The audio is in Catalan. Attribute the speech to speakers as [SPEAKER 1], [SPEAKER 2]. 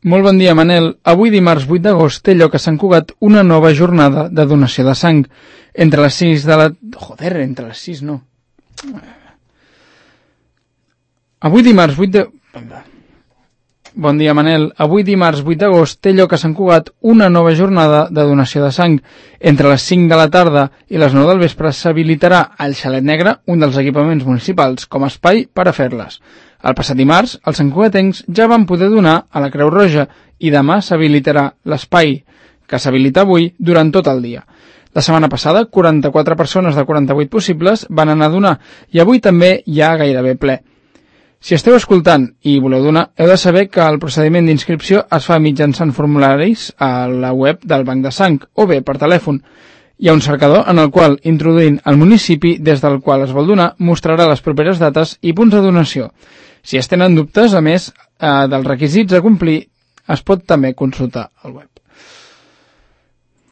[SPEAKER 1] Molt bon dia, Manel. Avui, dimarts 8 d'agost, té lloc a Sant Cugat una nova jornada de donació de sang. Entre les 6 de la... Joder, entre les 6 no. Avui, dimarts 8 de... Bon dia, Manel. Avui, dimarts 8 d'agost, té lloc a Sant Cugat una nova jornada de donació de sang. Entre les 5 de la tarda i les 9 del vespre s'habilitarà al Xalet Negre, un dels equipaments municipals, com a espai per a fer-les. El passat dimarts, els santcugatencs ja van poder donar a la Creu Roja i demà s'habilitarà l'espai, que s'habilita avui durant tot el dia. La setmana passada, 44 persones de 48 possibles van anar a donar i avui també hi ha gairebé ple. Si esteu escoltant i voleu donar, heu de saber que el procediment d'inscripció es fa mitjançant formularis a la web del Banc de Sang o bé per telèfon. Hi ha un cercador en el qual, introduint el municipi des del qual es vol donar, mostrarà les properes dates i punts de donació. Si es tenen dubtes, a més dels requisits a complir, es pot també consultar al web.